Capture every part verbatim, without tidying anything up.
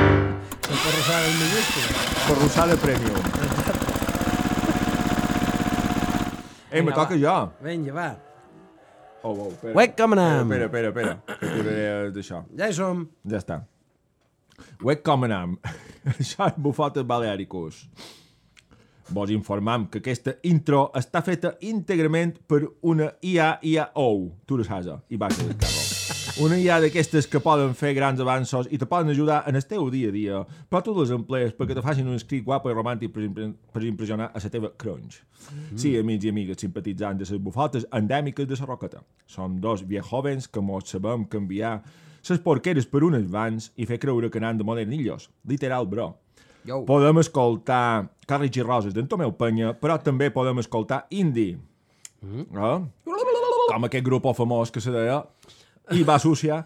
La porrussada en minúscula. Porrussada premium. Ei, me toca jo. Vinga, va. Oh, oh, espera. Uec, com anem? Espera, espera, espera. Que posaré d'això. Ja hi som. Ja està. Uec, com anem? Això és Bufotes Baleàricos. Vos informam que aquesta intro està feta íntegrament per una I A I A O. Tu lo saps, i va ser el carro. Una I A d'aquestes que poden fer grans avanços i te poden ajudar en el teu dia a dia, però tu les emplees perquè te facin un escrit guapo i romàntic per, impre per impressionar a la teva crunch. Mm. Sí, amics i amigues simpatitzants de les bufotes endèmiques de la Roqueta. Som dos viejovens que mos sabem canviar les porqueres per unes vans i fer creure que anem de modernillos. Literal, bro. Yo. Podem escoltar Carles i Roses d'en Tomeu Penya, però també podem escoltar indie. Mm. Eh? Com aquest grup famós que se deia I va sucia,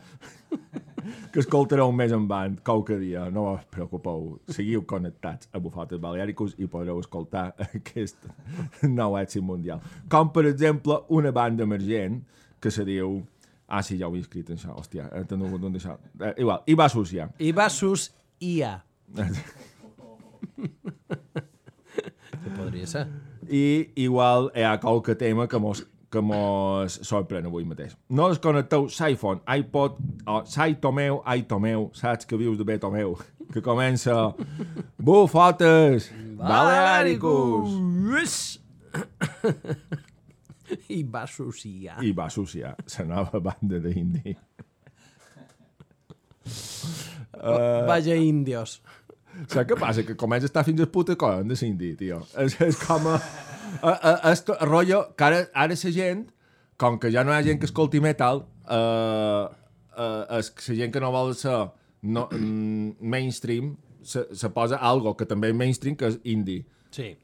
que escoltareu més en band qualque dia. No us preocupeu, seguiu connectats a Bufotes Baleàricos i podreu escoltar aquest nou èxit mundial. Com, per exemple, una banda emergent que se diu... Ah, sí, ja ho he escrit, això. Hòstia, he tingut un d'això. Eh, igual, I va sucia. I va sus I A. Que podria ser. I igual hi ha qualque tema que mos, que mos sorprèn avui mateix. No desconnecteu l'iPhone, iPod o Saitomeu, Aitomeu, saps que vius de bé Tomeu, que comença Bufotes Baleàricos. I va associar. I va associar la nova banda d'indie. Uh... Vaja índios. Saps què passa? Que comença a estar fins al puta coll de l'indie, tio. És, és com a... a, a, a, a rotllo que ara, ara la gent, com que ja no hi ha gent que escolti metal, uh, uh, és que la gent que no vol ser no, mm, mainstream se, se posa algo que també és mainstream, que és indie. Sí.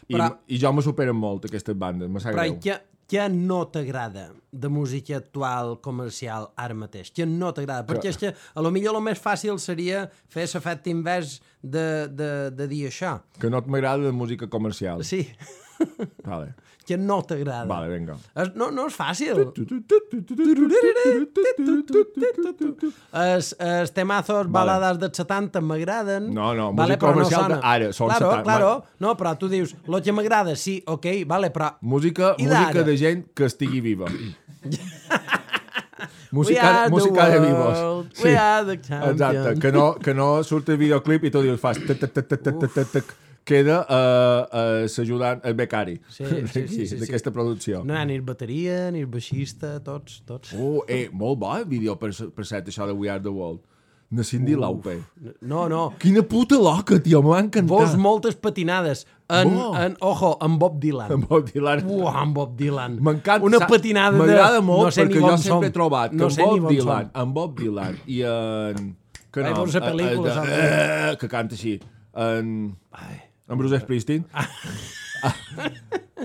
I, però, i jo me superen molt aquestes bandes, me sap però greu. Què, què no t'agrada de música actual comercial ara mateix? Què no t'agrada? Que... Perquè és que a lo millor el més fàcil seria fer l'efecte invers de, de, de dir això. Que no t'agrada la música comercial. Sí. Vale. Que no t'agrada. Vale, vinga. Es, no, no és fàcil. Els, els temazos, vale. Balades dels setanta m'agraden. No, no, vale, música comercial no d'ara. Claro, claro. No, però tu dius, lo que m'agrada, sí, ok, vale, però... Música, música de gent que estigui viva. música música de vivos. Sí. We are the champions. Exacte, que no, que no surt el videoclip i tu dius, fas... Queda uh, uh, s'ajudant el becari sí, sí, sí, sí, d'aquesta sí. producció. No hi ha ni el bateria, ni el baixista, tots, tots. Oh, eh, molt bo el vídeo per, per set, això de We Are The World. De Cyndi uh, Lauper. No, no. Quina puta loca, tio, m'ha encantat. Vos moltes patinades. En, en, ojo, en Bob Dylan. En Bob Dylan. Uah, en Bob Dylan. M'encanta. Una patinada de... M'agrada molt no sé perquè jo sempre he trobat que no en Bob Dylan, en Bob Dylan i en... Que no, Ai, pel·lícula, uh, uh, que canta així. En... Ai. En Bruce Springsteen. Ah.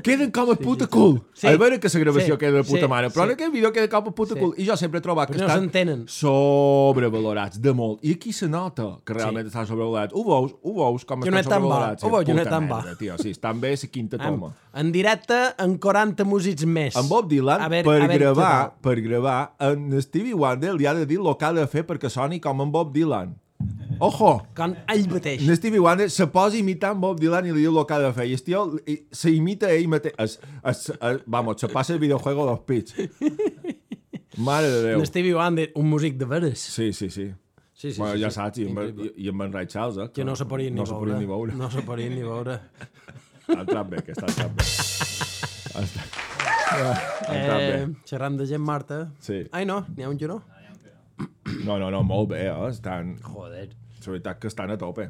Queden com a puta cool. Sí. A veure que la gravació sí. queda de puta sí. mare, però sí. en aquest vídeo queda com a puta sí. cool. I jo sempre he trobat que no estan sobrevalorats de molt. I aquí se nota que realment sí. estan sobrevalorats. Ho veus, ho veus com jo estan no sobrevalorats. Ho veus, jo no tan ba. Tio, sí, estan bé la quinta toma. En directe, en quaranta músics més. En Bob Dylan, veure, per, gravar, per gravar, en Stevie Wonder li ha de dir el que ha de fer perquè soni com en Bob Dylan. Ojo! Com ell mateix. En Stevie Wonder se posa imitant Bob Dylan i li diu el que ha de fer. I el tio se imita ell mateix. Es, es, es, vamos, se passa el videojuego dels pits. Mare de Déu. En Stevie Wonder, un músic de veres. Sí, sí, sí. Sí, sí, bueno, sí, ja sí. saps, i, i, i amb en Ray Charles, eh? Que no se podien ni, no veure. ni veure. No se podien ni veure. Ha entrat bé, aquesta ha entrat bé. Ha entrat, ha entrat bé. Eh, xerrant de gent morta. Sí. Ai, no, n'hi ha un giró. No, no, no, molt bé, eh? Estan... Joder. La veritat que estan a tope.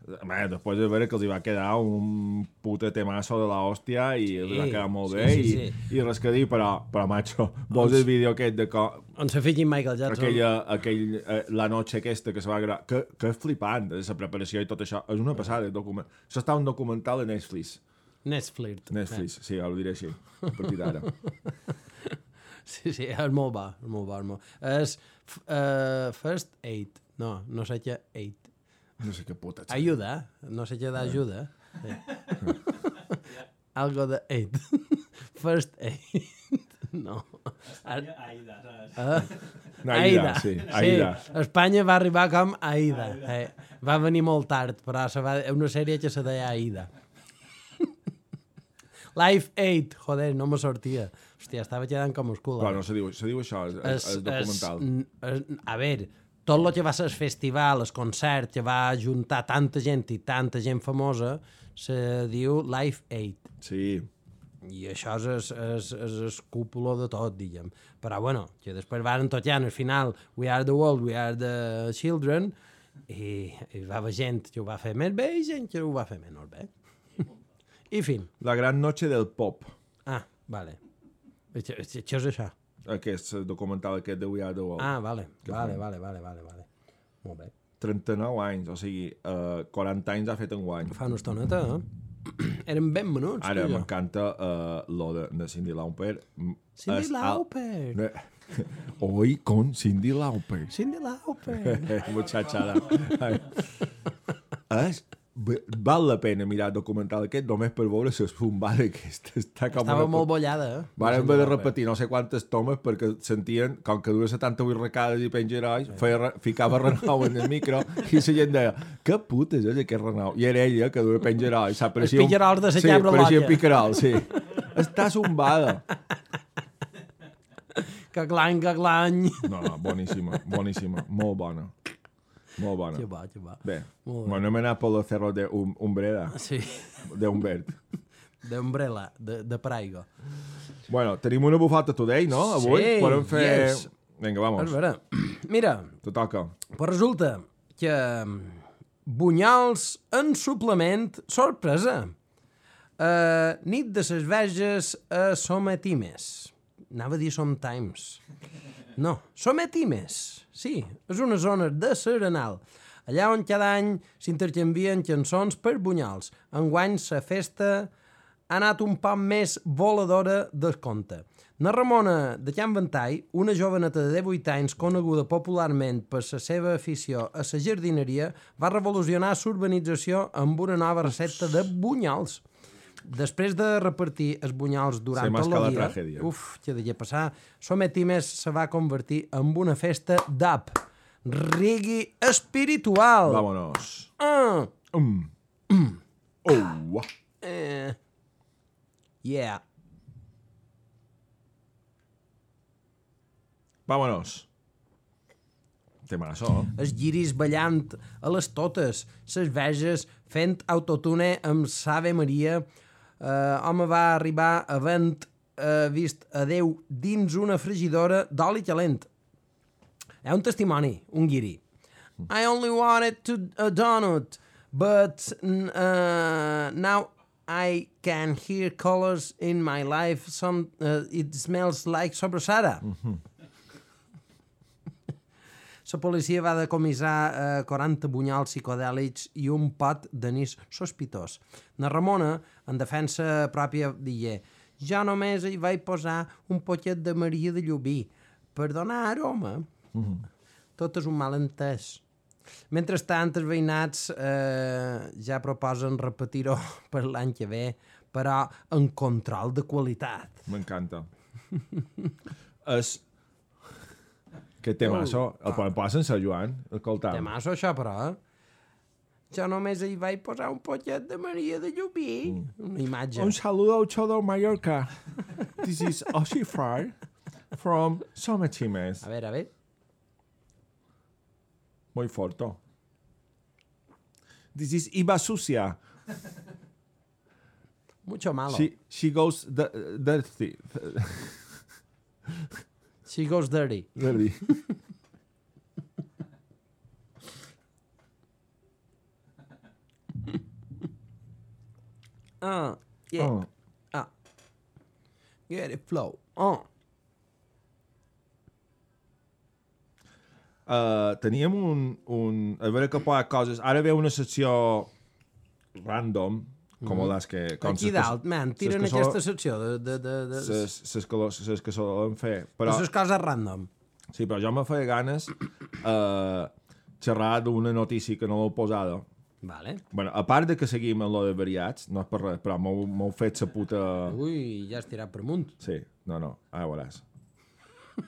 Bé, després de veure que els hi va quedar un puta temazo de l'hòstia i sí, els va quedar molt bé sí, sí, sí. I, i res que dir, però, però macho, vols el vídeo aquest de co... On se fiqui Michael Jackson. Aquella, aquell, eh, la noche aquesta que se va gravar, que, que és flipant, la preparació i tot això, és una passada. Document... Això està un documental de Netflix. Netflix. Netflix, sí, ho diré així, a partir d'ara. Sí, sí, és molt bo, és molt bo. És, molt... és uh, First Aid. No, no sé què aid. No sé què puta. Ayuda, no sé què d'ajuda. Sí. Algo de aid. First Aid. No. Espanya, Aida. saps? Ah, Aida, sí, Aida. Sí, Espanya va arribar com Aida. Eh, va venir molt tard, però se va... una sèrie que se deia Aida. Life eight, joder, no me sortia. Hòstia, estava quedant com oscul. Però no se diu, se diu això, és, és, és documental. Es, es, a veure, tot el que va ser el festival, el concert, que va juntar tanta gent i tanta gent famosa, se diu Life eight. Sí. I això és, és, és, és el cúpulo de tot, diguem. Però, bueno, que després van tocant al final We are the world, we are the children, i, i va haver gent que ho va fer més bé i gent que ho va fer menys bé. I fin. La gran noche del pop. Ah, vale. Això, això és això. Aquest documental aquest de We Are The World. Ah, vale, vale, vale, vale, vale, vale. Molt bé. trenta-nou anys, o sigui, uh, quaranta anys ha fet enguany. Fa una estoneta, eh? Eren ben menuts, Ara tu i jo. m'encanta uh, lo de, de Cyndi Lauper. Cindy És al- Lauper. Hoy con Cyndi Lauper. Cindy Lauper. Muchachada. Ai. És, val la pena mirar el documental aquest només per veure la zumbada aquesta. Està com Estava una... molt bollada, eh? Van haver de repetir no sé quantes tomes perquè sentien, com que duia setanta-vuit recades i pengerois, feia, re- ficava Renau en el micro i la gent deia, que puta és aquest Renau? I era ella que duia pengerois. Els picarols de la sí, cabra pareixia loca. picarol, sí. Està zumbada. Que clang, que clang. No, no, boníssima, boníssima, molt bona. Molt bona. Que va, que va. Bé, Molt bé. bueno, hem anat per los cerros de um, Umbreda, Sí, de Humbert. d'Umbrella, de, de Praigo. Bueno, tenim una bufata today, no? Avui Sí, podem fer... yes. Vinga, A vamos, veure, mira, te toca. pues resulta que mm, bunyols en suplement, sorpresa. Uh, nit de ses veges a Sometimes. Anava a dir Sometimes. No, Sometimes. Sí, és una zona de Serenal. Allà on cada any s'intercanvien cançons per bunyols. Enguany la festa ha anat un poc més voladora del compte. Na Ramona de Can Ventall, una joveneta de divuit anys coneguda popularment per la seva afició a la jardineria, va revolucionar l'urbanització amb una nova recepta de bunyols. Després de repartir els bunyols durant Se tot masca la el dia, tragèdia. uf, que devia passar, Sometimes se va convertir en una festa d'app, reggae espiritual. Vámonos. Ah, Um. Oh. eh, yeah. Vámonos. Temazo. Els guiris ballant a les totes, les veges fent autotune amb Save Maria. Uh, home va arribar havent uh, vist a Déu dins una frigidora d'oli calent. Hi ha un testimoni, un guiri. I only wanted to, a donut, but uh, now I can hear colors in my life. Some, uh, it smells like sobrasada. La policia va decomissar eh, quaranta bunyols psicodèlics i un pot d'anís sospitós. Na Ramona, en defensa pròpia, digué jo només hi vaig posar un poquet de Maria de Llubí per donar aroma. Mm-hmm. Tot és un malentès. Mentrestant, els veïnats eh, ja proposen repetir-ho per l'any que ve, però en control de qualitat. M'encanta. És... Que temazo. El podem posar sense Joan, escoltant. Temasso això, però, eh? Jo només hi vaig posar un poquet de Maria de Llubí. Mm. Una imatge. Un saludo a Chodor Mallorca. This is Oshifar from Sometimes. A veure, a veure. Muy forto. This is Iba Sucia. Mucho malo. She, she goes the, dirty. She goes dirty. Dirty. Ah, yeah. Oh. Ah. Get it flow. Oh. Uh, teníem un, un... A veure que posa coses... Ara ve una secció random, com mm. les que... Com Aquí ses dalt, que, man, tiren ses que aquesta sol- secció de... de, de, de... ses, ses que, lo- ses que solen fer. Però, Les coses random. sí, però jo me feia ganes uh, xerrar d'una notícia que no l'he posada. Vale. Bueno, a part de que seguim en lo de variats, no és per res, però m'heu m'heu fet sa puta... Ui, ja has tirat per munt. Sí. no, no, ara veuràs.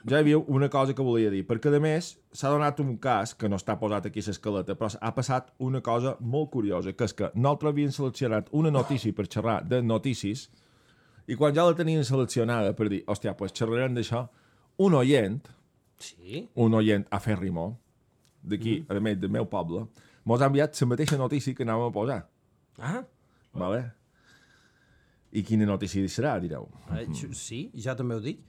Ja hi havia una cosa que volia dir, perquè a més s'ha donat un cas, que no està posat aquí a l'escaleta, però ha passat una cosa molt curiosa, que és que nosaltres havíem seleccionat una notícia per xerrar de notícies, i quan ja la tenien seleccionada per dir, hòstia, pues xerrarem d'això, un oient, Sí? un oient afèrrimo, d'aquí, mm. a més, del meu poble, mos ha enviat la mateixa notícia que anàvem a posar. Ah, Vale? I quina notícia serà, direu? eh, sí, ja també ho dic.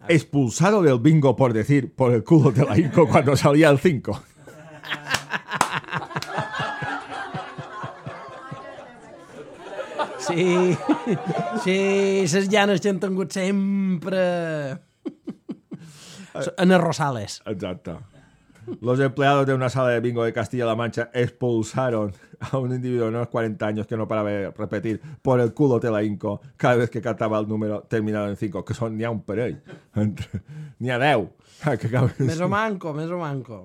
Expulsado del bingo por decir por el culo de la Inco cuando salía el cinco. Sí, sí, les llanes que han tingut sempre en els Rosales. Exacto. Los empleados de una sala de bingo de Castilla-La Mancha expulsaron a un individuo de unos cuarenta años que no paraba de repetir por el culo te la Inco cada vez que cantaba el número terminado en cinco, que son n'hi ha un parell. N'hi ha deu. Que acaben... Més o manco, més o manco.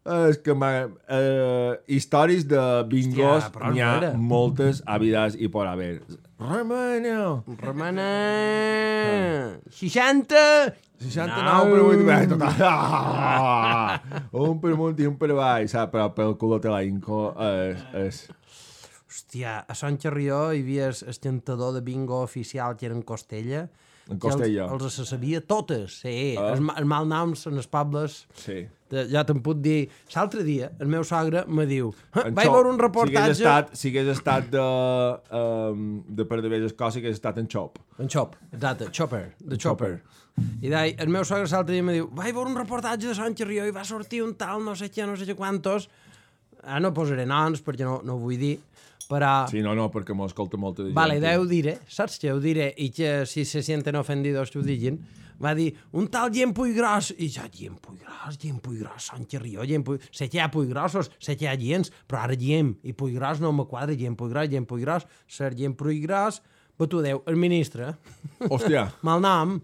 És que eh, històries de bingos Hòstia, però n'hi ha era. moltes habides i por haver. Remena! Romana... seixanta... seixanta-nou per vuit... Bé, total. Ah! Un per amunt i un per avall, saps? Però pel culo te la Inco és... és... Hòstia, a Sant Xerrió hi havia el cantador de bingo oficial que era en Costella. En Costella. Els, els se sabia totes, sí. Ah. Els, ma- els malnoms en els pobles. Sí. De, ja te'n puc dir. L'altre dia, el meu sogre me diu En vaig Xop, veure un reportatge... Si hagués estat, si hagués estat de, um, de per de velles coses, hagués estat en Xop. En Chop, exacte, Chopper, de Chopper. I dai, el meu sogre l'altre dia me diu vaig veure un reportatge de Sant Xerrió i va sortir un tal no sé què, no sé què quantos. Ara no posaré noms perquè no, no ho vull dir, però... Sí, no, no, perquè m'ho escolta molta de gent. Vale, ja ho diré, saps què ho diré? I que si se sienten ofendidos que ho diguin, va dir, un tal gent Puiggròs, i ja, gent Puiggròs, gent Puiggròs, Sant Xerrió, gent Puiggròs, sé que hi ha Puiggrossos, sé que hi ha gens, però ara gent, i Puiggròs no me quadra, gent Puiggròs, gent Puiggròs, ser gent Puiggròs, però tu deu, el ministre, Hòstia. mal nom,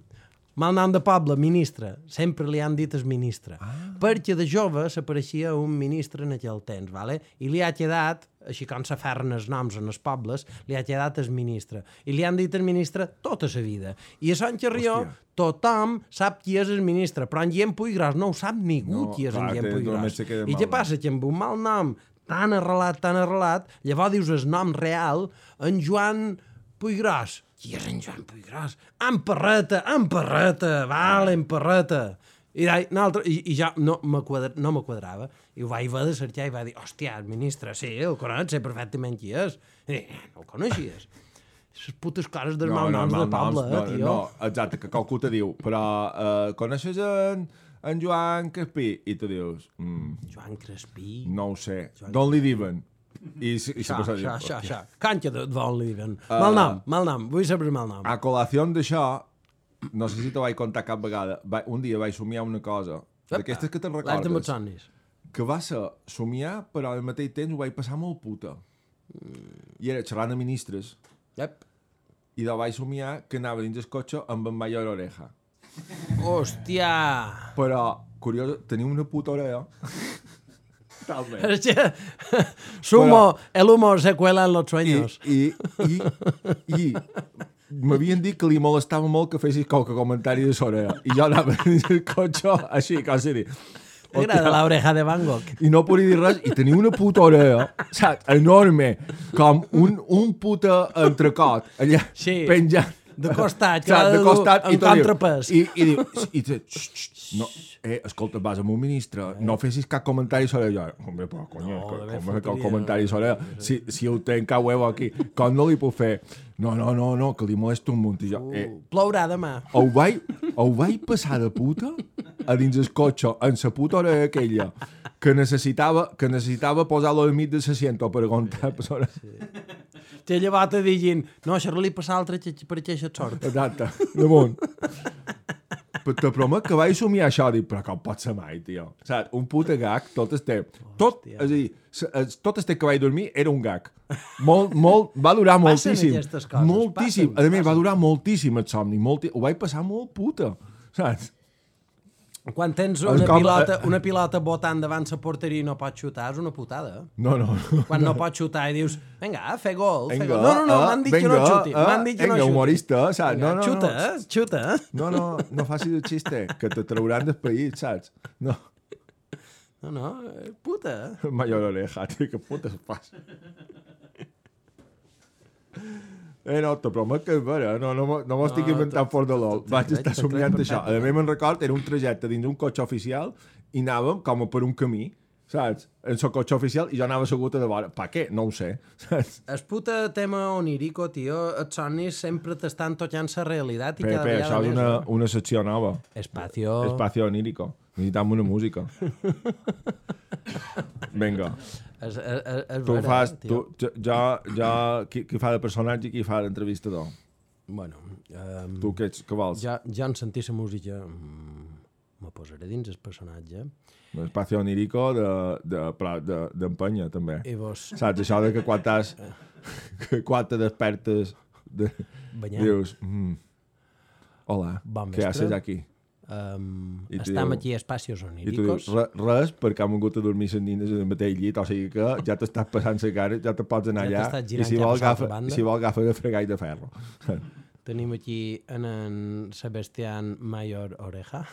mal nom de poble, ministre, sempre li han dit el ministre, ah. perquè de jove s'apareixia un ministre en aquell temps, vale? I li ha quedat, així com s'aferren els noms en els pobles, li ha quedat el ministre. I li han dit el ministre tota la vida. I a Sant Xerrió Hòstia. tothom sap qui és el ministre, però en Guillem Puiggròs no ho sap ningú No, qui és clar, en Guillem que només Puiggròs. se queda I mal què nom. passa? Que amb un mal nom tan arrelat, tan arrelat, llavors dius el nom real, en Joan Puiggròs. Qui és en Joan Puiggròs? En Parreta, en Parreta, vale, en Parreta. I, dai, altre, i, i ja no me, quadra, no me quadrava. I ho vaig haver de cercar i va dir, hòstia, el ministre, sí, el conec, sé perfectament qui és. I dic, no el coneixies. Les putes coses dels no, malnoms no, del poble, no, eh, tio. no, exacte, que qualcú te diu, però uh, coneixes en, en Joan Crespí? I tu dius, mm, Joan Crespí. no ho sé, Joan d'on li diuen? I, i Xa, se xa, xa, dir, xa. Canxa de d'on li diuen. Mal nom, mal nom, vull saber mal nom. a col·lació d'això, no sé si t'ho vaig contar cap vegada, va, un dia vaig somiar una cosa, d'aquestes que te'n L'any de recordes, Motsonis. que va ser somiar, però al mateix temps ho vaig passar molt puta. I era xerrant de ministres, Yep. i de vaig somiar que anava dins el cotxe amb en Mayor Oreja. Hòstia! Però, curiós, tenia una puta orella. Talment. Es que sumo, el humor se cuela en los sueños. I, i, i, i m'havien dit que li molestava molt que fessis qualque comentari de l'orella. I jo anava dins el cotxe així, com si dir... M'agrada l'oreja de Van Gogh. I no podia dir res, i tenia una puta orella, saps, enorme, com un, un puta entrecot, allà, Sí. penjant. De costat, que Saps, ha de de costat, dur i en te diu- contrapès. I, i diu, i te, xxt, xxt, no, eh, escolta, vas amb un ministre, no fessis cap comentari sobre allò. Hombre, però, coño, No, no, de com ver és cap fotoria, comentari sobre allò? Si, si ho tenc a huevo aquí, com no li puc fer? No, no, no, no, que li molesta un munt. I jo, eh, Uh, plourà demà. ho vaig, ho vaig passar de puta a dins el cotxe, en sa puta hora aquella, que necessitava, que necessitava posar-lo al mig de l'assiento per aguantar. Sí. Te llevat a diguin, no, això li passa altre que per aquesta sort. Exacte, damunt. Però te promet que vaig somiar això, dic, però com pot ser mai, tio? Saps? Un puta gag, tot este... Tot, és a dir, s- es- tot este que vaig dormir era un gag. Molt, molt, va durar Passen moltíssim. aquestes coses, Moltíssim. passen, A més, va durar moltíssim el somni. Molti... Ho vaig passar molt puta, saps? Quan tens És una com, pilota, eh, una pilota botant davant la porteria i no pots xutar, és una putada. No, no. no. Quan no pots xutar i dius, vinga, fer gol, fer Vinga, gol. No, no, no, eh, m'han dit que vinga, no xuti. eh, M'han dit que no vinga, xuti. humorista, saps? Vinga, No, no, xuta, no. eh? Xuta, eh? No, no, no facis el xiste, que te trauran del país, saps? No. No, no, eh, puta. Mayor oreja, tio, que puta es passa. Eh, no, te promet que és vera, no, no, m'ho- no m'ho estic No, inventant te- fort de l'ol. te- te Vaig crec, estar te crec somiant això. A perfectament. més, me'n record, era un trajecte dins un cotxe oficial i anàvem com per un camí, saps? En el cotxe oficial i jo anava assegut a de vora. Per què? No ho sé, saps? El puta tema onírico, tio, els somnis sempre t'estan tocant la realitat i Pepe, cada vegada això és més. una, eh? una secció nova. Espacio... Espacio onírico. Necessitam una música. Vinga. És, és, és, és Tu vera, fas... eh, Tu, tio. jo, jo, jo qui, qui fa de personatge i qui fa d'entrevistador? Bueno, um, Tu què, ets, què vols? ja, ja en sentir la música mm, me posaré dins el personatge L'espacio onírico de- de- però de- d'empenya, també. i vos Saps, això de que quan t'has... que quan te despertes de, banyant. dius... Mm, hola, Bon què vespre. haces aquí? Um, I tu estem diu- aquí a Espacios I tu dius, Oníricos. "Re- res, perquè han vingut a dormir les nines en el mateix llit, o sigui que ja t'estàs passant la cara, ja te pots anar Ja allà, t'estàs i girant si cap a vol, l'altra agafa, banda. si vol agafa de fregar i de ferro. Tenim aquí en, en Sebastián Mayor Oreja,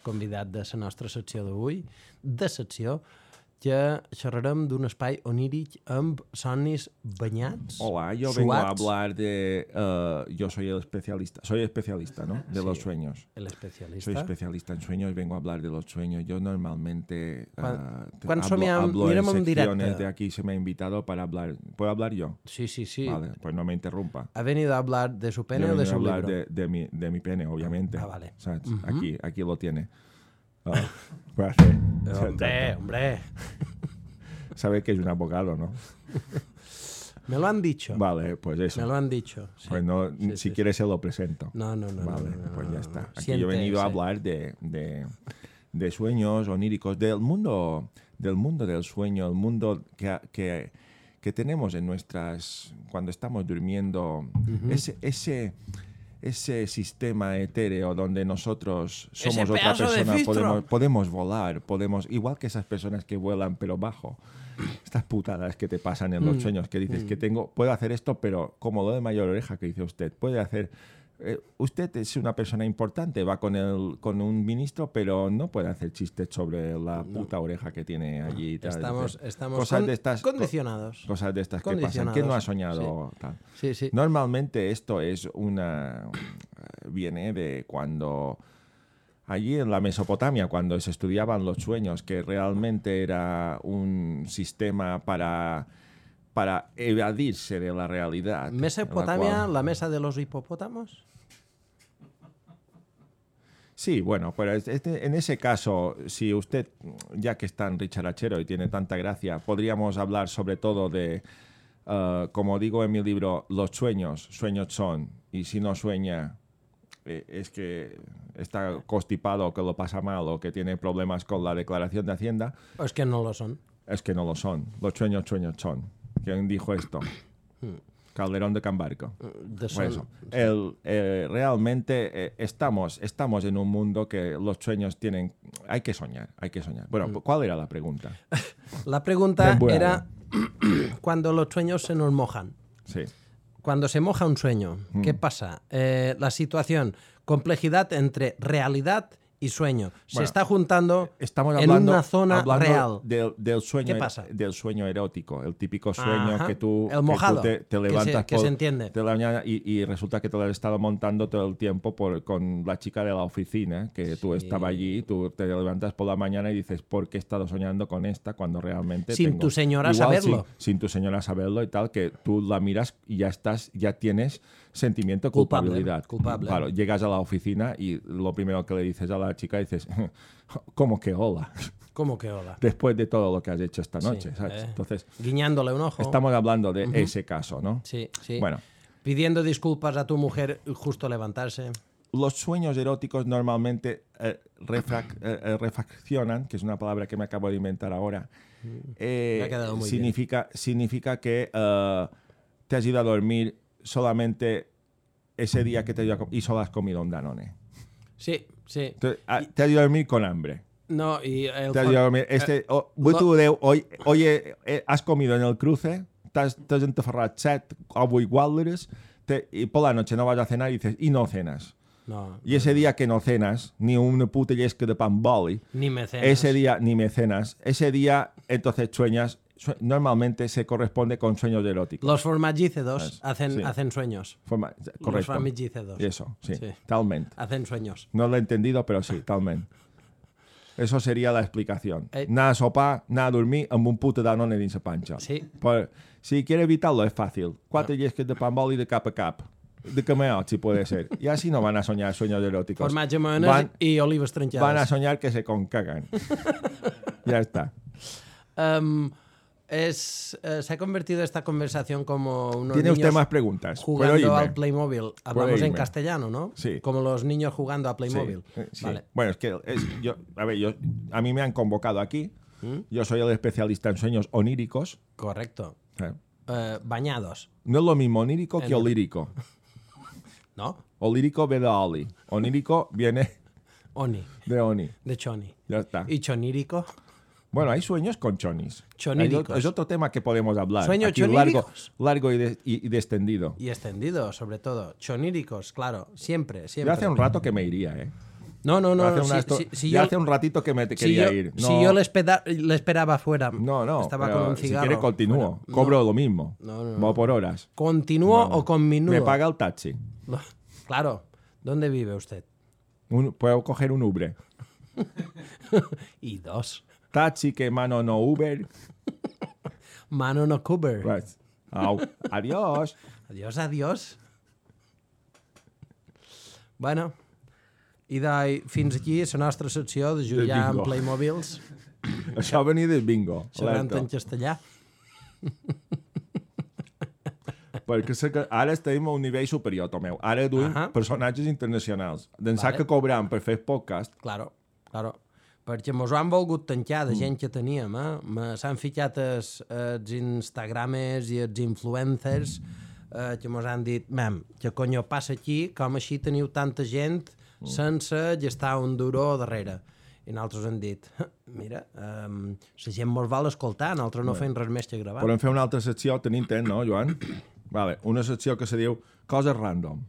convidat de la nostra secció d'avui, de secció que xerrarem d'un espai oníric amb somnis banyats, Hola, yo vengo a suats. hablar de... uh, yo soy el especialista, soy especialista, ¿no? De Sí. los sueños. El Soy especialista. especialista en sueños, vengo a hablar de los sueños. Yo normalmente uh, Quan- te- quan hablo, somiem- hablo en mirem en secciones directe. de aquí, se me ha invitado para hablar. ¿Puedo hablar yo? Sí, sí, sí. Vale, pues no me interrumpa. ¿Ha venido a hablar de su pene Yo o de vengo a su hablar libro? de, de, mi, de mi pene, obviamente. Ah, vale. ¿Sabes? Aquí, aquí lo tiene. Ah, puede hacer. Hombre, hombre. Sabe que es un abogado, ¿no? Me lo han dicho. Vale, pues eso. Me lo han dicho. Sí. Pues no, Sí, si sí, quieres se lo presento. No, no, no. Vale, no, no, pues no, ya no, está. no. Aquí yo he venido a Siéntese. hablar de, de, de sueños oníricos, del mundo, del mundo del sueño, el mundo que, que, que tenemos en nuestras, cuando estamos durmiendo, ese, ese, ese sistema etéreo donde nosotros somos Ese otra pedazo de persona, fistro. podemos, podemos volar, podemos, igual que esas personas que vuelan pero bajo. Estas putadas que te pasan en los sueños, que dices que tengo, puedo hacer esto, pero como lo de mayor oreja que dice usted, puede hacer, eh, usted es una persona importante, va con el, con un ministro, pero no puede hacer chistes sobre la puta oreja que tiene allí. y tal. Estamos, Dices, estamos cosas con- de estas, co- condicionados. cosas de estas que pasan. ¿Quién no ha soñado tal? Sí, sí. Normalmente esto es una... viene de cuando... Allí en la Mesopotamia, cuando se estudiaban los sueños, que realmente era un sistema para, para evadirse de la realidad. en la Mesopotamia, cual- la mesa de los hipopótamos. Sí, bueno, pero es- este- en ese caso, si usted, ya que es tan richarachero y tiene tanta gracia, podríamos hablar sobre todo de, uh, como digo en mi libro, los sueños, sueños son, y si no sueña, eh, es que está constipado, que lo pasa mal o que tiene problemas con la declaración de Hacienda, O es que no lo son. es que no lo son. Los sueños, sueños son. ¿Quién dijo esto? Calderón de Cambarco. De Pues son. eso. El, eh, realmente eh, estamos, estamos en un mundo que los sueños tienen... Hay que soñar, hay que soñar. Bueno, ¿cuál era la pregunta? La pregunta Ben buena. era cuando los sueños se nos mojan. Sí. Cuando se moja un sueño, ¿qué pasa? Eh, la situación, complejidad entre realidad y sueño. Se Bueno, está juntando Estamos en hablando, una zona hablando real. Del, del sueño, ¿Qué pasa? del sueño erótico, el típico sueño Ajá. que tú, El que mojado, tú te, te que se- levantas que se entiende. de la mañana y, y resulta que te lo has estado montando todo el tiempo por, con la chica de la oficina, que tú Sí. estabas allí, tú te levantas por la mañana y dices, ¿por qué he estado soñando con esta cuando realmente Sin tengo-?" tu señora Igual saberlo. Sin, sin tu señora saberlo y tal, que tú la miras y ya estás, ya tienes sentimiento de Culpable, culpabilidad. culpable. Claro, llegas a la oficina y lo primero que le dices a la chica dices, ¿cómo que hola? ¿Cómo que hola? Después de todo lo que has hecho esta Sí, noche, ¿sabes? eh. Entonces, Guiñándole un ojo. estamos hablando de ese caso, ¿no? Sí, sí. Bueno, Pidiendo disculpas a tu mujer justo levantarse. los sueños eróticos normalmente eh, refrac- eh, eh, refaccionan, que es una palabra que me acabo de inventar ahora, eh, Me ha quedado muy significa, significa que eh, te has ido a dormir solamente ese día que te has ido a co- y solo has comido un Danone. Sí, sí. Te, a, te has ido a dormir con hambre. No, y el... Te has ido a dormir... Este, eh, oh, lo- tú de, hoy, oye, eh, has comido en el cruce, t'has, t'has entafarrat set o vuit Walders, te, y por la noche no vas a cenar y dices, y no cenas. No, Y ese día que no cenas, ni una puta yesca de pan boli, ni mecenas. ese día, ni mecenas, ese día entonces sueñas, sue- normalmente se corresponde con sueños eróticos. Los formagícedos Es- hacen, sí. hacen sueños. Forma- Los correcto. formagícedos. Eso, sí, Sí. talmente. Hacen sueños. No lo he entendido, pero sí, talmente. Eso sería la explicación. Eh. Nada sopar, nada dormir, amb un puto danone dins la panxa. Sí. Pues, si quieres evitarlo, es fácil. Cuatro yesques de pan boli de cap a cap. De cameot, si puede ser. Y así no van a soñar sueños eróticos. Formatge, mayones Van, y olives trinchadas. van a soñar que se concagan. Ya está. Um, es, eh, se ha convertido esta conversación como unos Tiene niños usted más preguntas. ¿Puedo jugando irme? al Playmobil. Hablamos en irme? castellano, ¿no? Sí. Como los niños jugando a Sí, Playmobil. eh, sí. Vale. Bueno, es que es- yo, a ver, yo, a mí me han convocado aquí. ¿Mm? Yo soy el especialista en sueños oníricos. Correcto. Eh, Eh, bañados, No es lo mismo onírico que En- olírico. ¿no? Olírico viene de Oli. Onírico viene Oni, de Oni. de choni. Ya está. ¿Y chonírico? Bueno, hay sueños con chonis. Choníricos. Hay- Es otro tema que podemos hablar. ¿Sueños Aquí largo, choníricos? largo y, de- y- y descendido. Y extendido, sobre todo. Choníricos, claro. Siempre, Yo siempre. hace un rato que me iría, ¿eh? No, no, no. hace, si- una esto- si- si ya yo- hace un ratito que me te si quería yo, ir. No, si yo le, espera- le esperaba afuera. no, no. Estaba pero con un si cigarro. quiere continúo. fuera. Cobro lo mismo. No, no, no. Voy por horas. ¿Continúo No, no. o con minuto? Me paga el taxi. Claro. ¿Dónde vive usted? Un- puedo coger un Uber. Y dos. Taxi que mano no Uber. Mano no cover. Pues, au. Adiós. Adiós, adiós. Bueno, i de, fins aquí la nostra secció de jugar amb bingo. Playmobils, Això venia del bingo. xerrant alerta. en castellà. Perquè sé que ara estem a un nivell superior, Tomeu. Ara duim Ahà. personatges internacionals. D'ençà Vale. que cobram per fer podcast, Claro, claro. Perquè mos ho han volgut tancar de gent que teníem, eh? Me- S'han ficat els, els Instagramers i els influencers eh, que mos han dit, mem, que conyo passa aquí, com així teniu tanta gent sense gestar un duró darrere. I nosaltres hem dit, mira, um, la gent mos vol escoltar, nosaltres no fem res més que gravar. podem fer una altra secció, tenim temps, no, Joan? Vale, una secció que se diu Coses random.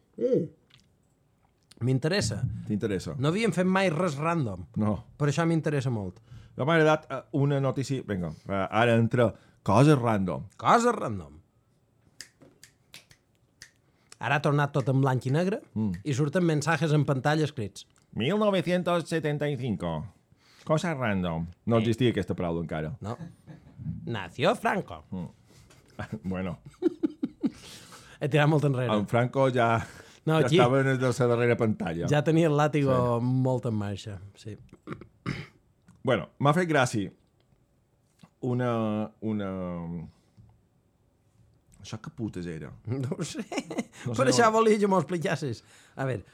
M'interessa. T'interessa? No havíem fet mai res random, No. per això m'interessa molt. No m'ha agradat eh, una notícia... Vinga, eh, ara entra Coses random. Coses random. Ara ha tornat tot en blanc i negre mm. i surten mensajes en pantalla escrits. mil nou-cents setanta-cinco. Coses random. No existia aquesta paraula encara. No. Nació Franco. Bueno, He tirat molt enrere. en Franco ja, No, ja aquí- estava en la darrera pantalla. Ja tenia el làtigo sí. molt en marxa. Sí. Bueno, m'ha fet gràcia una... una... Això que putes era? No ho sé. No No sé, per això no. volia que m'ho explicassis. A veure,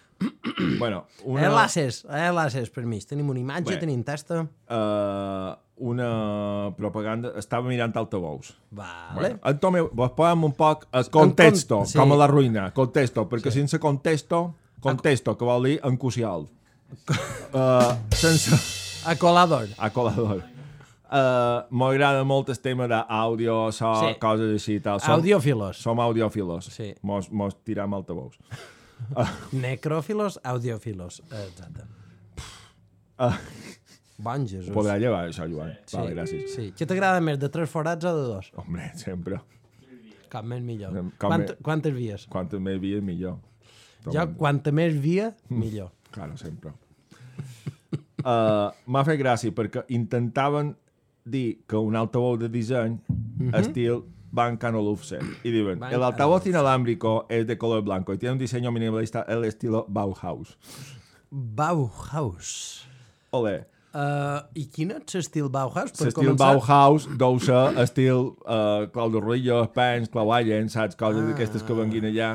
Bueno, una... una... enlaces, enlaces per mig. Tenim una imatge, Bé. tenim testa. Uh, una propaganda... Estava mirant altavous. Vale. Bueno, en Tomeu, vos posem un poc el contexto, con- sí. com a la ruïna, contexto, perquè sí. sense contexto, contexto, que vol dir encusial. uh, sense... Acolador. Acolador. Uh, M'agrada molt el tema d'àudio, so, Sí. sí. coses així i tal. Som, Audiòfilos. som audiòfilos. Sí. Mos, mos tiram altavous. Necròfilos, audiòfilos. Exacte. Uh, Bon Jesús. podrà llevar això, Joan. Sí, Vale, gràcies. sí. Què t'agrada més, de tres forats o de dos? Hombre, sempre. Com més millor. Com Quant, més- quantes vies? Quantes més vies, millor. Jo, quanta més via, millor. Claro, sempre. Uh, M'ha fet gràcia perquè intentaven dir que un altavoz de disseny estil Van Canolufsen. Y digan, Van el altavoz Canolufsen. inalámbrico es de color blanco y tiene un diseño minimalista el estilo Bauhaus. Bauhaus. Ole. Uh, I quin és l'estil Bauhaus? Per L'estil començar? Bauhaus deu ser estil uh, Clau de Ruillo, Pens, Clau Allen, saps? Coses Ah. d'aquestes que venguin allà.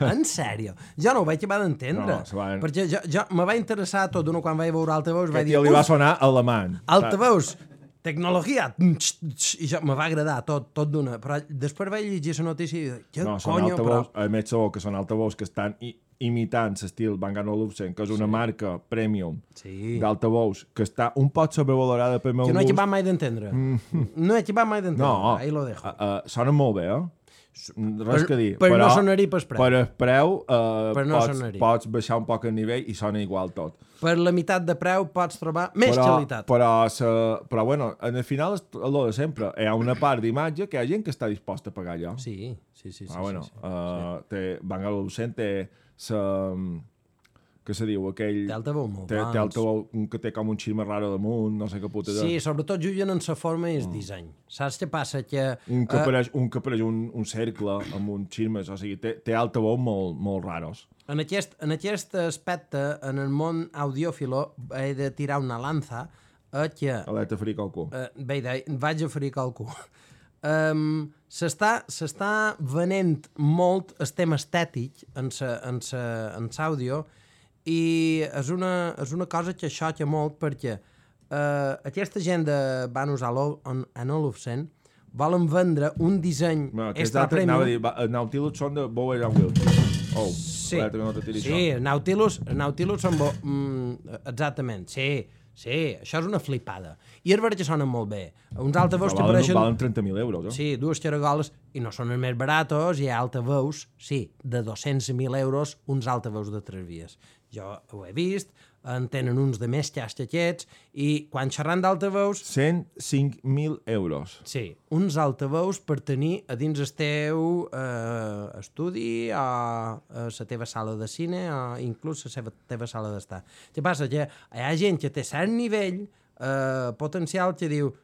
En sèrio? Jo no ho vaig acabar d'entendre. No, se van- Perquè jo, jo me va interessar tot d'una quan vaig veure altavous, Que vaig dir, tio li va "Uf, sonar alemany. altavous, tecnologia, i jo me va agradar tot, tot d'una, però després vaig llegir la notícia i dic, què No, són conyo, altavous, però... a més sabeu que són altavous que estan i imitant l'estil Bang and Olufsen, que és una sí. marca premium sí. d'altavous, que està un poc sobrevalorada per meu que no he gust. acabat mai d'entendre. Mm. No he acabat mai d'entendre. No, ahí lo dejo. Uh, uh, sonen molt bé, eh? Res per, que dir. Per però, no sonar-hi per preu. Per el preu uh, per no pots, pots baixar un poc el nivell i sona igual tot. Per la meitat de preu pots trobar més però, qualitat. Però, sa, però bueno, en el final és el de sempre. Hi ha una part d'imatge que hi ha gent que està disposta a pagar allò. Sí, sí, sí. sí, ah, bueno, sí, sí, uh, sí. Té, Bang and Olufsen té sa, que se diu aquell... Té altaveu molt té, té altaveu que té com un xirme raro damunt, no sé què puta de... Sí, sobretot juguen en sa forma i el mm. disseny. Saps què passa? Que, un que uh, apareix, un, que apareix un, un cercle amb un xirmes, o sigui, té, té altaveu molt, molt raros. En aquest, en aquest aspecte, en el món audiòfilo, he de tirar una lanza a que... Aleta frica al cul. Uh, bé, vaig a fricar el cul. Um, s'està venent molt el tema estètic en l'àudio i és una, és una cosa que xoca molt perquè uh, aquesta gent de van usar en Olufsen volen vendre un disseny no, extra premium. Anava a dir, el Nautilus són de Bowers and Wilkins. Oh, sí, no sí, Nautilus, Nautilus són bo, mm, exactament, sí, sí, això és una flipada. I és veritat que sonen molt bé. Uns altaveus que apareixen... Valen trenta mil euros, eh? Sí, dues xaragoles, i no són els més baratos, hi ha altaveus, sí, de dos-cents mil euros, uns altaveus de tres vies. Jo ho he vist, en tenen uns de més xas que aquests, i quan xerran d'altaveus... cent cinc mil euros. Sí, uns altaveus per tenir a dins el teu eh, estudi, o a la teva sala de cine, o inclús a la teva sala d'estar. Què passa? Que hi ha gent que té cert nivell eh, potencial que diu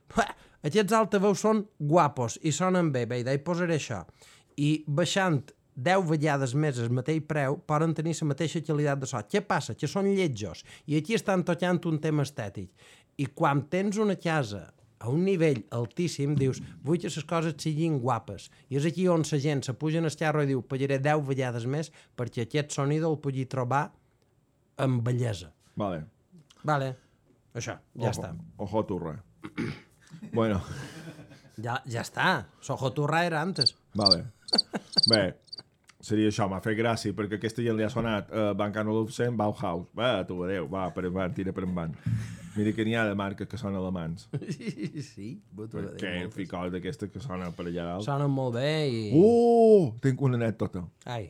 aquests altaveus són guapos i sonen bé, bé, hi posaré això. I baixant deu vegades més el mateix preu poden tenir la mateixa qualitat de so. Què passa? Que són lletjos i aquí estan tocant un tema estètic. I quan tens una casa a un nivell altíssim, dius, vull que les coses siguin guapes. I és aquí on la gent se puja en el carro i diu, pagaré deu vegades més perquè aquest sonido el pugui trobar amb bellesa. Vale. Vale. Això, ja Ojo. està. Ojo turra. Bueno. Ja, ja està. Sojo turra era antes. Vale. Bé, seria això, m'ha fet gràcia, perquè aquesta gent li ha sonat uh, Bang and Olufsen, Bauhaus. Va, tu adeu, va, per en tira per en van. Mira que n'hi ha de marques que són alemans. Sí, tu adeu. Perquè ficol d'aquestes que sonen per allà dalt. Sonen molt bé i... Uh! Tinc una anècdota. Ai.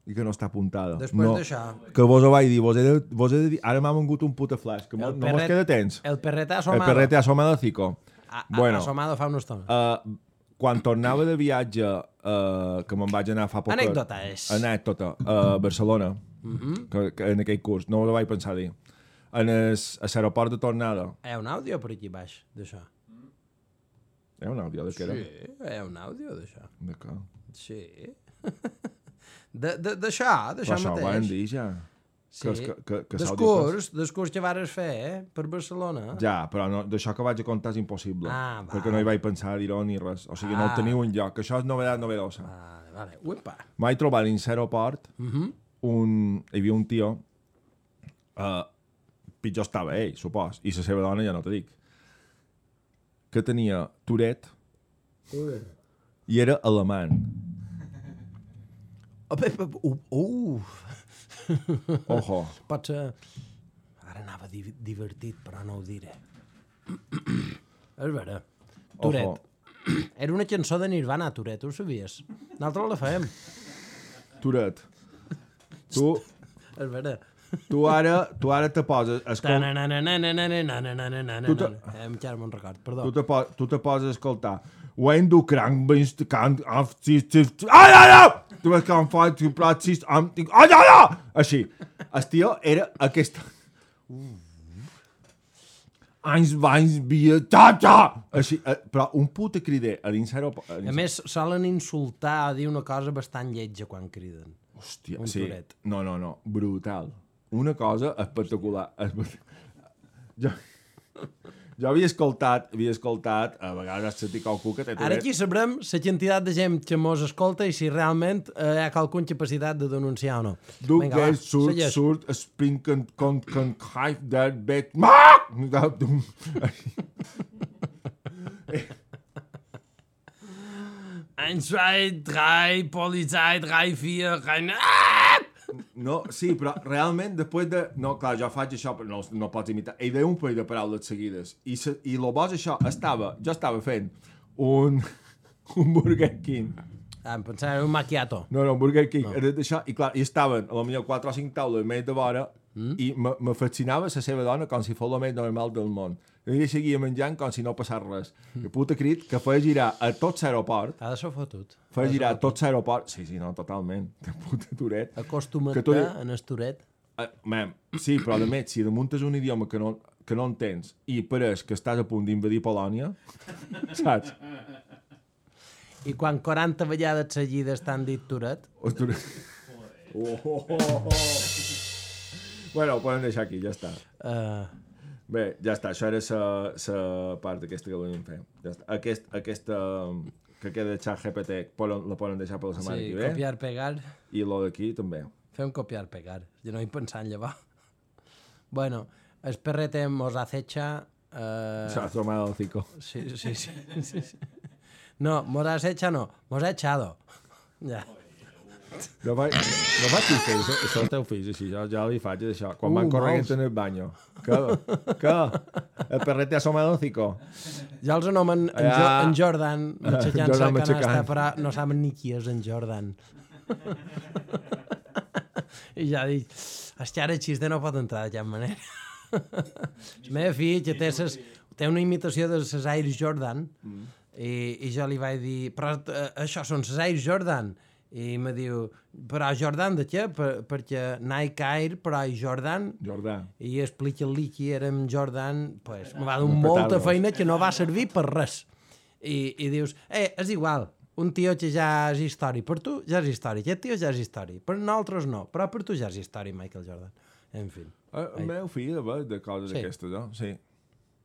I que no està apuntada. Després no, d'això... Que vos ho vaig dir, vos he de, vos he de dir... Ara m'ha vengut un puta flash, que no perret, mos queda temps. El perrete asomado. El perrete asomado cico. A, a, bueno, asomado fa una estona. Uh, quan tornava de viatge, uh, que me'n vaig anar fa poc... Anècdota és. Anècdota, a Barcelona, uh -huh. que, que en aquell curs, no ho vaig pensar dir. En el, a l'aeroport de tornada... Hi ha un àudio per aquí baix, d'això. Hi ha un àudio de què era? Sí, hi ha un àudio d'això. De què? Sí. D'això, d'això mateix. Això ho vam dir ja. Sí, que, que, que descurs, descurs que vares fer, eh? Per Barcelona. Ja, però no, d'això que vaig a contar és impossible. Ah, va. Perquè no hi vaig pensar a dir-ho ni res. O sigui, ah. no el teniu enlloc. Això és novedat novedosa. Vale, vale. Uepa. Vaig trobar dins l'aeroport uh -huh. un... Hi havia un tio... Uh, pitjor estava ell, supos. I la seva dona ja no te dic. Que tenia Tourette uh. i era alemany. Uh, uh. Ojo. Pot ser... Ara anava di divertit, però no ho diré. És vera. Tourette. Era una cançó de Nirvana, Tourette, ho sabies? Nosaltres la fèiem. Tourette. Tu... És vera. Tu ara, tu ara te poses... Escol... Tu te... Encara me'n record, perdó. Tu te, po tu te poses a escoltar When du krank bist, kann... Ai, ai, ai! Tu vas can fa, tu pratis... Ai, ai, ai! Així. El tio era aquesta... Anys, vanys, via, ta, ta! Així, però un puta crider a dins l'aeroport... A més, solen insultar, dir una cosa bastant lletja quan criden. Hòstia, sí. Toret. No, no, no. Brutal. Una cosa espectacular. Jo, jo havia escoltat, havia escoltat, a vegades sentit qualcú que té Toret. Ara aquí sabrem la quantitat de gent que mos escolta i si realment eh, hi ha qualcuna capacitat de denunciar o no. Du gehst surt, surt, springen, kon, kon, greif, der, bet, maak! Eins, zwei, drei, Polizei, drei, vier, rein... No, sí, però realment després de... No, clar, jo faig això, però no, no pots imitar. Ell deia un parell de paraules seguides. I, se, i lo bo és això, estava, jo estava fent un, un Burger King. Ah, em pensava un macchiato. No, no, un Burger King. No. Això, i clar, i estaven a lo millor quatre o cinc taules més de vora mm. i me, me fascinava la seva dona com si fos el més normal del món. I ell seguia menjant com si no passés res. Mm. Que puta crit que feia girar a tot l'aeroport. Ha de ser fotut. Feia girar a tot l'aeroport. Sí, sí, no, totalment. De puta turet. Acostuma't tu... en el turet. Uh, man, sí, però a més, si damunt és un idioma que no, que no entens i pareix que estàs a punt d'invadir Polònia, saps? I quan quaranta vegades seguides t'han dit turet? O turet. Oh, oh, oh, oh. Bueno, ho podem deixar aquí, ja està. Uh... Bé, ja està, això era la part d'aquesta que volíem fer. Ja està. Aquest, aquesta que queda de xat G P T la poden deixar per la setmana sí, que ve. Sí, copiar, pegar. I lo d'aquí també. Fem copiar, pegar. Jo no hi pensant en llevar. Bueno, el perrete mos acecha... Uh... Se ha tomado el hocico. Sí, sí, sí, sí, sí. No, mos acecha no, mos ha echado. Ja. No faig, no faig fills, això el teu fills, així, jo ja li faig això. Quan uh, van corrent en el banyo. Què? Què? El perret te ha asomado el hocico. Ja els anomen en, jo, en Jordan, matxacant-se la canasta, però no saben ni qui és en Jordan. I ja dic, hòstia, ara el xiste no pot entrar de cap manera. La meva filla té, ses, té una imitació de les Air Jordan mm. i, i jo li vaig dir, però uh, això són les Air Jordan. I me diu, però Jordan de què? Per, perquè Nike Air, però Jordan. Jordan. I explica-li qui era amb Jordan, pues, me va donar molta feina que no va servir per res. I, i dius, eh, és igual, un tio que ja és històric, per tu ja és històric, aquest tio ja és històric, per nosaltres no, però per tu ja és històric, Michael Jordan. En fi. El meu fill, de, de coses sí. Aquestes, no? Sí.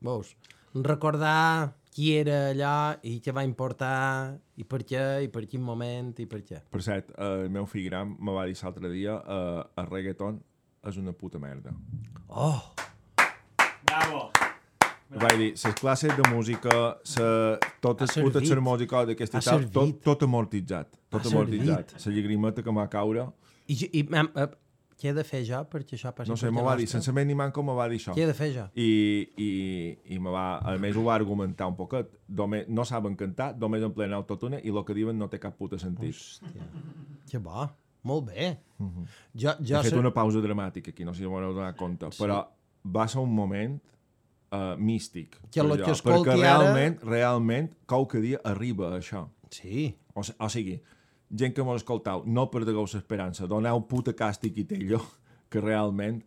Veus? Recordar qui era allò i què va importar i per què, i per quin moment i per què. Per cert, el meu fill gran me va dir l'altre dia uh, el reggaeton és una puta merda. Oh! Bravo! Me vaig dir, les classes de música, sa, totes les putes música d'aquesta tal, tot, tot amortitzat. Tot ha amortitzat. La llagrimeta que m'ha caure. I, i uh, què he de fer jo perquè això passi? No sé, me va dir, sense més ni manco me va dir això. Què he de fer jo? I, i, i me va, a més ho va argumentar un poquet. Només, no saben cantar, només en plena autotune i el que diuen no té cap puta sentit. Hòstia, que bo, molt bé. Uh -huh. jo, jo He fet sé... una pausa dramàtica aquí, no sé si m'ho heu donat compte, sí. Però va ser un moment uh, místic. Que lo que escolti perquè ara... realment, realment, qualque dia arriba a això. Sí. O, o sigui, gent que m'ho escoltau, no perdeu l'esperança, doneu puta càstig i tello, que realment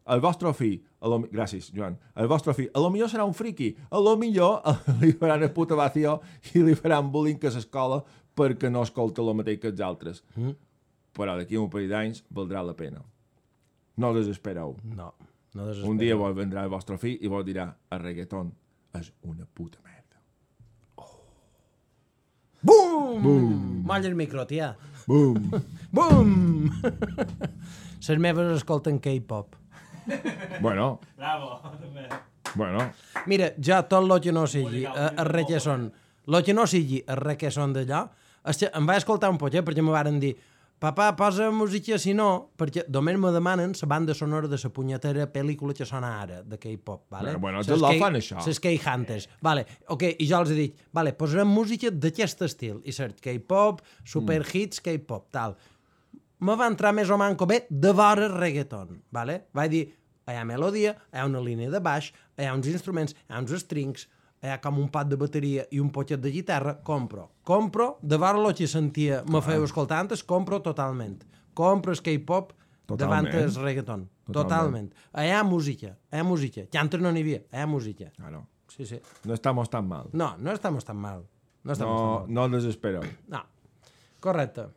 el vostre fill, a lo, gràcies Joan, el vostre fill, a lo millor serà un friqui, a lo millor li faran el puta vacío i li faran bullying a l'escola perquè no escolta el mateix que els altres. Mm. Però d'aquí un parell d'anys valdrà la pena. No desespereu. No, no desespereu. Un dia vos vendrà el vostre fill i vos dirà el reggaeton és una puta merda. Bum! Bum! Molla el micro, tia. Bum! Bum! Les meves escolten K-pop. Bueno. Bravo. Bueno. Mira, ja tot el que no sigui el reggaeton, el que no sigui el reggaeton d'allò, em vaig escoltar un poquet perquè me varen dir papà, posa música, si no, perquè només me demanen la banda sonora de la punyetera pel·lícula que sona ara, de K-pop, vale? Bueno, ja la fan, això. Les K-Hunters, vale, ok, i jo els he dit, vale, posarem música d'aquest estil, i cert, K-pop, superhits, K-pop, tal. Me va entrar més o manco bé de vora reggaeton, vale? Vaig dir, hi ha melodia, hi ha una línia de baix, hi ha uns instruments, hi ha uns strings, hi ha com un pad de bateria i un poquet de guitarra, compro. Compro, de vora el que sentia, me feia escoltar antes, compro totalment. Compro el K-pop davant el reggaeton. Totalment. Hi ha música, hi ha música. Que antes no n'hi havia, hi ha música. Claro. Sí, sí. No estamos tan mal. No, no estamos tan mal. No, estamos no, tan mal. no desespereu. No. Correcte.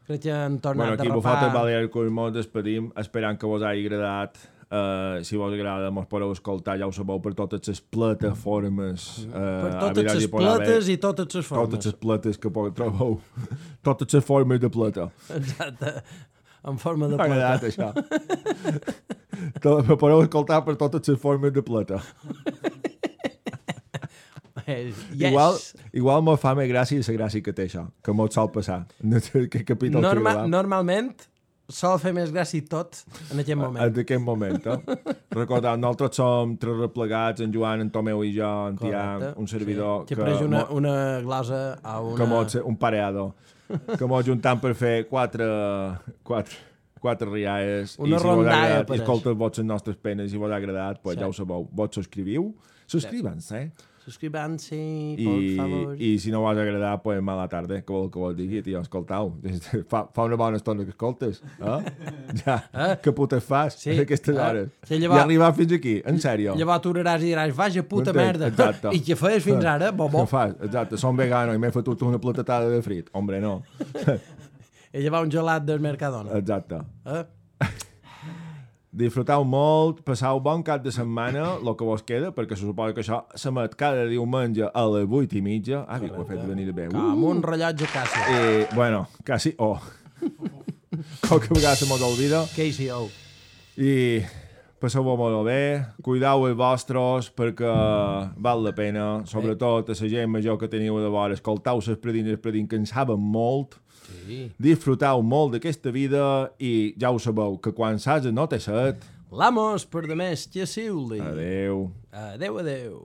Crec que han tornat bueno, aquí a rapar... rapar... Balear Cosmos despedim, esperant que vos hagi agradat. Uh, si vos agrada, mos podeu escoltar, ja ho sabeu, per totes les plataformes. Uh, per totes les plates i totes les formes. Totes les plates que podeu trobeu. Totes les formes de plata. Exacte. En forma de plata. M'ha agradat, això. Me podeu escoltar per totes les formes de plata. Yes. Igual, igual me fa més gràcia la gràcia que té això, que molt sol passar. Que capítol Norma, normalment, sol fer més gràcia tot en aquest moment. En aquest moment, eh? Recordeu, nosaltres som tres replegats, en Joan, en Tomeu i jo, en Tian, un servidor... Sí. Que preix una, una glosa a una... Que mos, un pareado, que mos juntam per fer quatre... quatre quatre rialles, una i si vos ha agradat, apareix. i escolteu vots les nostres penes, i vos ha agradat, pues sí. Ja ho sabeu, vos subscriviu, subscriuen-se, eh? Subscrivant-se, I, por favor. I si no vos ha agradat, pues mala tarda, que vol que vos digui, tio, escoltau, fa, fa una bona estona que escoltes, eh? Ja, eh? Que putes fas sí. a aquestes eh? hores. Sí, llavors, I arribar fins aquí, en sèrio. Llavors t'uraràs i diràs, vaja puta Entenc, merda. exacte. I què feies fins ara, bobo? Què fas? Exacte, som vegano i m'he fotut una platatada de frit. Hombre, no. I llavors un gelat del Mercadona. Exacte. Eh? Disfrutau molt, passau bon cap de setmana, el que vos queda, perquè se suposa que això s'emet cada diumenge a les vuit i mitja. Ah, que ho he fet venir bé. Uh! Com un rellotge Casio. I, bueno, quasi, oh. Qualque vegada se mos olvida. K C O. I passeu-ho molt bé, cuidau els vostres perquè val la pena, sobretot a la gent major que teniu de vora, escoltau les predines, les predines que en saben molt, Sí. disfrutau molt d'aquesta vida i ja ho sabeu, que quan s'has no té set. L'amos per demés, que siuli. Adeu. Adeu, adeu.